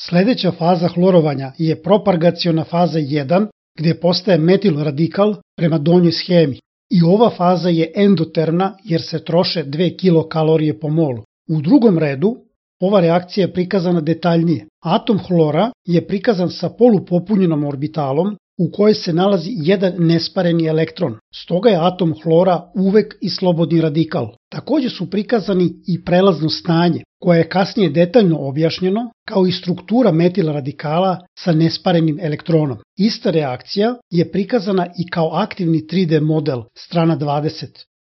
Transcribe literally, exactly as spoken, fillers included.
Sledeća faza hlorovanja je propagaciona faza jedan, gde postaje metil radikal prema donjoj schemi. I ova faza je endotermna jer se troše dve kilokalorije po molu. U drugom redu, ova reakcija je prikazana detaljnije. Atom hlora je prikazan sa polupopunjenom orbitalom u kojoj se nalazi jedan nespareni elektron. Stoga je atom hlora uvek i slobodni radikal. Takođe su prikazani i prelazno stanje, koje je kasnije detaljno objašnjeno, kao i struktura metil radikala sa nesparenim elektronom. Ista reakcija je prikazana i kao aktivni tri D model, strana dvadeset.